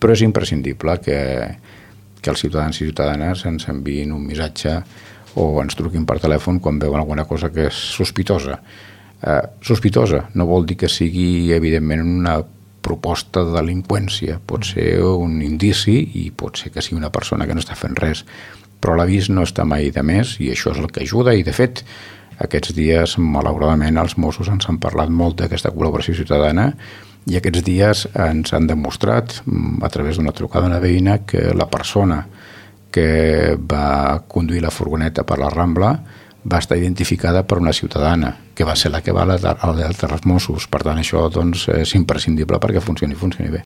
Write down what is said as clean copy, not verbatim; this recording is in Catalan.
però és imprescindible que els ciutadans i ciutadanes ens enviïn un missatge o ens truquin per telèfon quan veuen alguna cosa que és sospitosa. Sospitosa no vol dir que sigui evidentment una proposta de delinqüència, pot ser un indici i pot ser que sigui una persona que no està fent res, però l'avís no està mai de més i això és el que ajuda i de fet aquests dies malauradament els Mossos ens han parlat molt d'aquesta col·laboració ciutadana i aquests dies ens han demostrat a través d'una trucada d'una veïna que la persona que va conduir la furgoneta per la Rambla va estar identificada per una ciutadana, que va ser la que va alertar els Mossos. Per tant, això doncs, és imprescindible perquè funcioni bé.